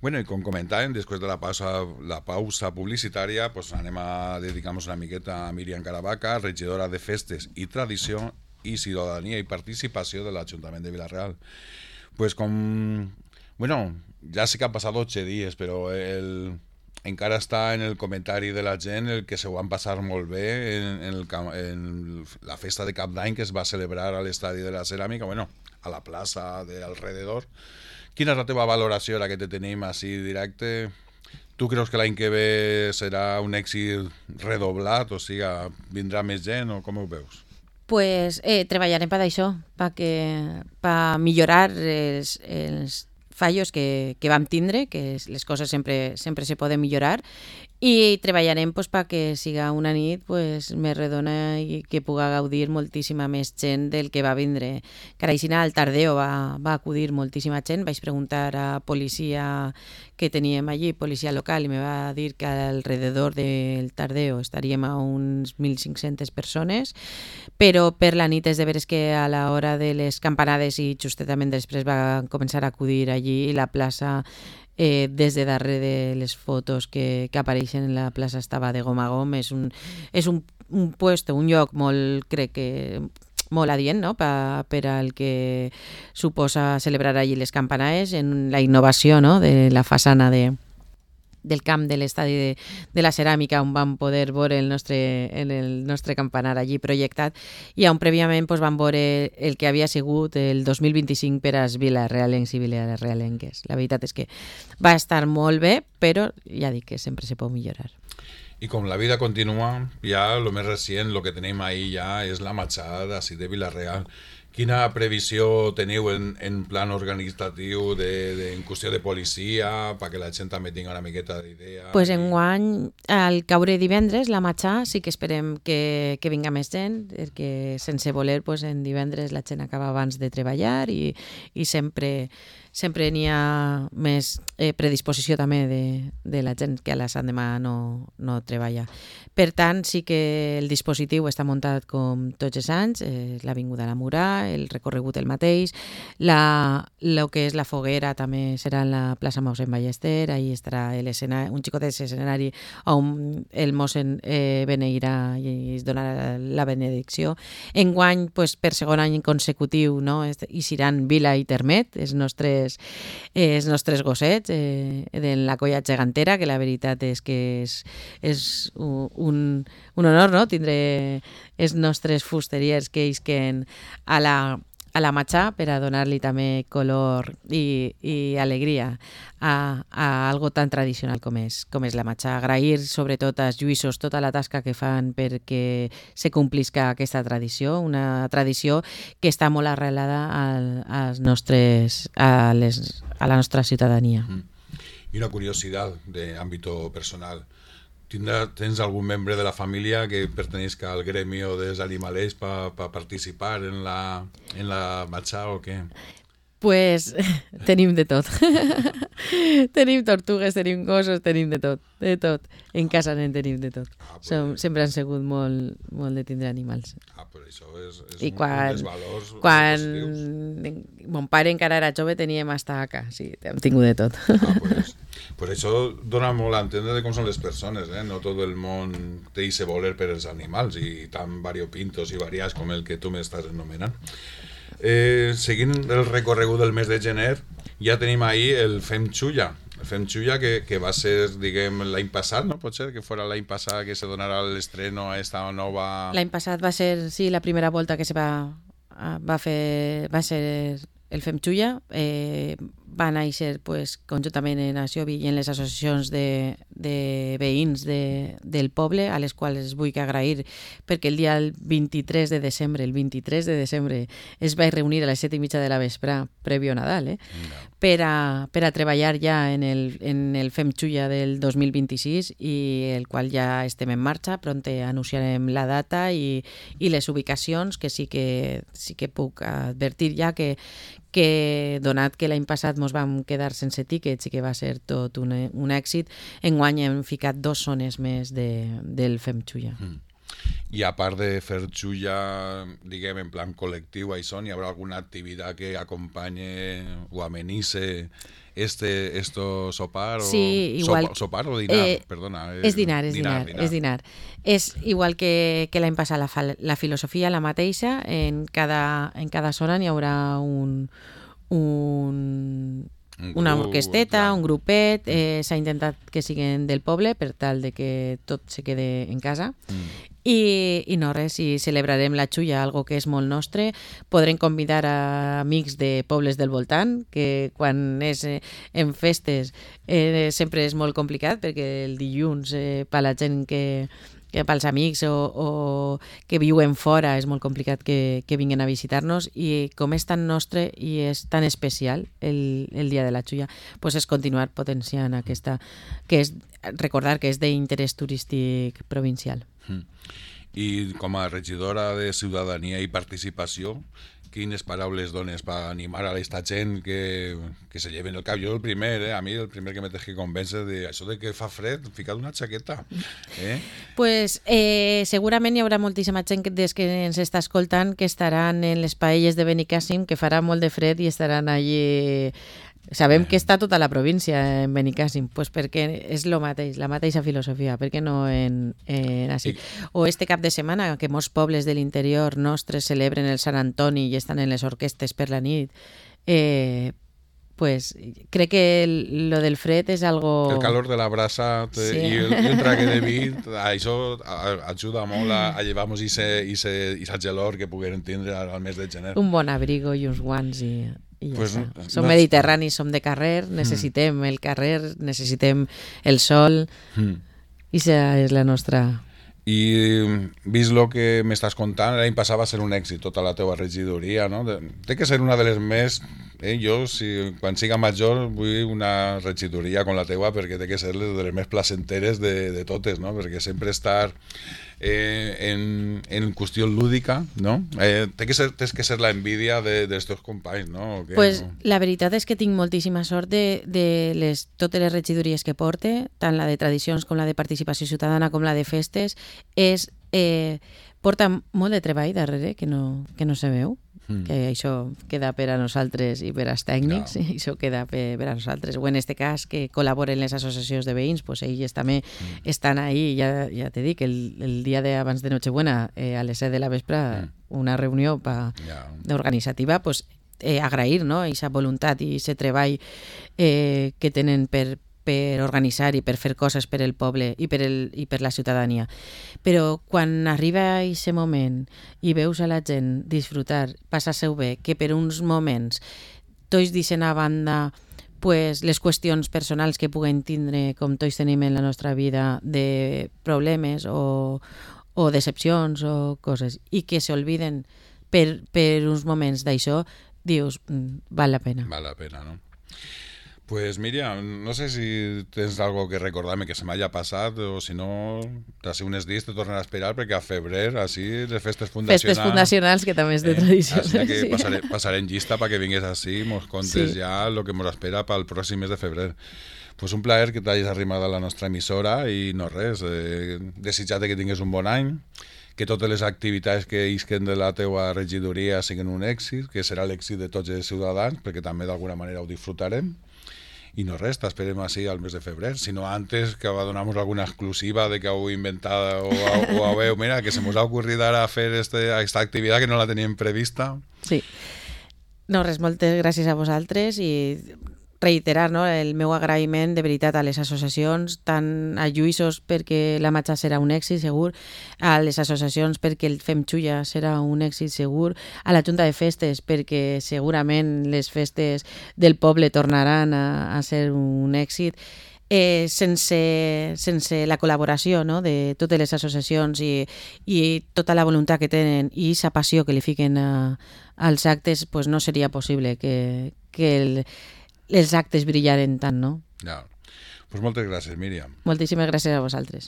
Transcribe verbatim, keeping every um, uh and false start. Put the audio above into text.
Bueno, i com comentàvem, després de la pausa, la pausa publicitària, pues anem a dedicar-nos una miqueta a Míriam Caravaca, regidora de Festes i Tradició i Ciutadania i Participació de l'Ajuntament de Vila-real. Pues com... Bueno, ja sé que han passat ocho dies, però el... encara està en el comentari de la gent el que se ho van passar molt bé en, en, el, en la festa de Cap d'Any que es va celebrar a l'Estadi de la Ceràmica, bueno, a la plaça de alrededor. Quina és la teva valoració ara que te tenim així directe? Tu creus que l'any que ve serà un èxit redoblat, o sigui, vindrà més gent o com ho veus? Pues eh, treballarem per això, per millorar els, els fallos que, que vam tindre, que les coses sempre, sempre se poden millorar, i treballarem pues, perquè siga una nit pues, més redona i que puga gaudir moltíssima més gent del que va vindre. Caraixina al Tardeo va, va acudir moltíssima gent. Vaig preguntar a policia que teníem allí, policia local, i me va dir que alrededor del Tardeo estaríem a uns mil cinc-centes persones, però per la nit és de veres que a l'hora de les campanades i justetament després va començar a acudir allí i la plaça Eh, des de darrere de les fotos que, que apareixen en la plaça estava de gom a gom. És un, és un, un puesto, un lloc molt, crec que molt adient, no? Pa, per al que suposa celebrar allí les campanades en la innovació, no? De la façana de del camp de l'estadi de, de la Ceràmica, on vam poder veure el nostre, el nostre campanar allí projectat, i on prèviament pues, vam veure el que havia sigut el dos mil vint-i-cinc per als vilarealencs i vilarealenques. La veritat és que va estar molt bé, però ja dic que sempre se pot millorar. I com la vida continua, ja el més recient, el que tenim ahir ja és la marxada així de Vila-real. Quina previsió teniu en, en plan organitzatiu de, de, en qüestió de policia perquè la gent també tingui una miqueta d'idea? Pues enguany, al caure divendres, la matxà, sí que esperem que, que vinga més gent, perquè sense voler pues, en divendres la gent acaba abans de treballar i, i sempre sempre n'hi ha més eh, predisposició també de, de la gent que a la Sant demà no, no treballa. Per tant, sí que el dispositiu està muntat com tots els anys, eh, l'Avinguda a la Murà, el recorregut el mateix, la, lo que és la foguera també serà en la plaça Mossèn Ballester, ahí estarà un xicotet escenari on el mossèn eh, beneirà i es donarà la benedicció. Enguany, pues, per segon any consecutiu, no, hi seran Vila i Termet, els nostres els nostres gossets eh, de la colla gegantera, que la veritat és que és, és un, un honor, no?, tindre els nostres fusteriers que isquen a la a la matxà per a donar-li també color i, i alegria a, a algo tan tradicional com és, com és la matxà. Agrair sobretot als lluïssos tota la tasca que fan perquè se complisca aquesta tradició, una tradició que està molt arrelada al, als nostres, a, les, a la nostra ciutadania. Mm. I una curiositat d'àmbito personal. ¿Tens algún membre de la familia que pertenezca al gremio de los animales para pa participar en la, en la marxa o què? Pues tenim de tot. Tenim tortugues, tenim gossos, tenim de tot, de tot. En casa en tenim de tot. Ah, pues Som, sempre han sigut molt, molt de tindre animals. Ah, però això és, és I un, quan, un dels valors quan positius. Mon pare encara era jove teníem hasta acá, sí, hem tingut de tot. Ah, pues, pues això dona molt a entendre de com són les persones, eh? No tot el món té ese voler per els animals i tan variopintos i variats com el que tu m'estàs anomenant. Eh, seguint el recorregut del mes de gener, ja tenim ahir el Fem Xulla. El Fem Xulla que, que va ser, diguem, l'any passat, no? Pot ser que fora l'any passat que se donarà l'estreno a esta nova... L'any passat va ser, sí, la primera volta que se va, va fer, va ser el Fem Xulla. Eh, va néixer pues, conjuntament en Aciovi i en les associacions de, de veïns de, del poble, a les quals vull agrair, perquè el dia vint-i-tres de desembre, el vint-i-tres de desembre, es va reunir a les set i mitja de la vespre, prèvio Nadal, eh? No. per, a, per a treballar ja en el, en el Fem Xulla del dos mil vint-i-sis, i el qual ja estem en marxa. Pronte anunciarem la data i, i les ubicacions, que sí que, sí que puc advertir ja que, que donat que l'any passat ens vam quedar sense tíquets i que va ser tot un, un èxit, enguany hem ficat dos zones més de, del Fem Xulla. Mm. I a part de fer xulla, diguem, en plan col·lectiu, això, hi haurà alguna activitat que acompanye o amenisse este esto sopar o sí, igual, sopa, sopar o dinar, eh, perdona. És dinar, és dinar, dinar, és dinar. És igual que, que l'any passat la, la filosofia la mateixa, en cada, en cada zona n'hi haurà un, un, un una grup, orquesteta, clar. un grupet, eh, s'ha intentat que siguin del poble per tal de que tot se quede en casa. Mm. I, i no res, si celebrarem la xulla, algo que és molt nostre, podrem convidar a amics de pobles del voltant, que quan és eh, en festes eh, sempre és molt complicat, perquè el dilluns eh, per la gent que, que pels amics o, o que viuen fora és molt complicat que, que vinguin a visitar-nos, i com és tan nostre i és tan especial el, el dia de la xulla, pues és continuar potenciant aquesta, que és recordar que és d'interès turístic provincial. Mm. I com a regidora de Ciutadania i Participació, quines paraules dones per animar a aquesta gent que, que se lleven el cap? Jo el primer, eh? a mi el primer que me tens que convèncer de això de que fa fred, fica't una xaqueta. Eh? Pues eh, segurament hi haurà moltíssima gent des que ens està escoltant que estaran en les paelles de Benicàssim, que farà molt de fred i estaran allí. Sabem que està tota la província en Benicàssim, pues perquè és lo mateix, la mateixa filosofia, per què no en, en així? O este cap de setmana, que molts pobles de l'interior nostres celebren el Sant Antoni i estan en les orquestes per la nit, eh, pues crec que el, lo del fred és algo... El calor de la brasa sí. i, el, i el trague de vi, això ajuda molt a, a llevar-nos aquesta gelor que puguem tindre al mes de gener. Un bon abrigo i uns guants i... I ja pues, està. Som no, mediterranis, som de carrer, necessitem mm. el carrer, necessitem el sol, mm. i això és la nostra... I vist el que m'estàs contant, l'any passat va ser un èxit tota la teva regidoria, no? Té que ser una de les més... Eh, jo, si, quan siga major, vull una regidoria com la teua, perquè té que ser de les més placenteres de, de totes, no? Perquè sempre estar eh, en, en qüestió lúdica, no? Eh, té que ser, tens que ser la envidia de, dels teus companys, no? Què, pues no? La veritat és que tinc moltíssima sort de, de les, totes les regidories que porte, tant la de tradicions com la de participació ciutadana com la de festes, és, eh, porta molt de treball darrere que no, que no se veu, mm. que això queda per a nosaltres i per als tècnics, no. Això queda per, per a nosaltres. O en este cas, que col·laboren les associacions de veïns, pues ells també mm. estan ahí, ja, ja te dic, el, el dia de abans de Nochebuena, eh, a les set de la vespre, mm. una reunió pa, yeah. organitzativa, pues, eh, agrair, no?, aquesta voluntat i aquest treball eh, que tenen per per organitzar i per fer coses per el poble i per, el, i per la ciutadania. Però quan arriba aquest moment i veus a la gent disfrutar, passar-se-ho bé, que per uns moments tots deixen a banda pues, les qüestions personals que puguen tindre, com tots tenim en la nostra vida, de problemes o, o decepcions o coses, i que s'olviden per, per uns moments d'això, dius, val la pena. Val la pena, no? Pues Míriam, no sé si tens algo que recordar-me que se m'haya passat o si no, d'ací uns dies te tornarà a esperar perquè a febrer, així, les festes fundacionals... Festes fundacionals, que també és de eh, tradició. Així que sí. passaré, passarem llista perquè vingués així i mos contes sí. ja el que mos espera pel pròxim mes de febrer. Pues un plaer que t'hagis arrimat a la nostra emissora i no res, eh, desitjar-te que tingués un bon any, que totes les activitats que isquen de la teua regidoria siguin un èxit, que serà l'èxit de tots els ciutadans, perquè també d'alguna manera ho disfrutarem. I no res, t'esperem així al mes de febrer, sinó antes que va donar-nos alguna exclusiva de que heu inventat o, o heu, mira, que se mos ha ocorrit ara fer este, aquesta activitat que no la teníem prevista. Sí. No, res, moltes gràcies a vosaltres i reiterar, no, el meu agraïment de veritat a les associacions, tant a Lluïssos perquè la matxa serà un èxit segur, a les associacions perquè el Fem Xulla serà un èxit segur, a la Junta de Festes perquè segurament les festes del poble tornaran a, a ser un èxit, eh, sense, sense la col·laboració, no?, de totes les associacions i, i tota la voluntat que tenen i aquesta passió que li fiquen a, als actes, pues no seria possible que, que el els actes brillaren tant, no? Ja. Pues moltes gràcies, Míriam. Moltíssimes gràcies a vosaltres.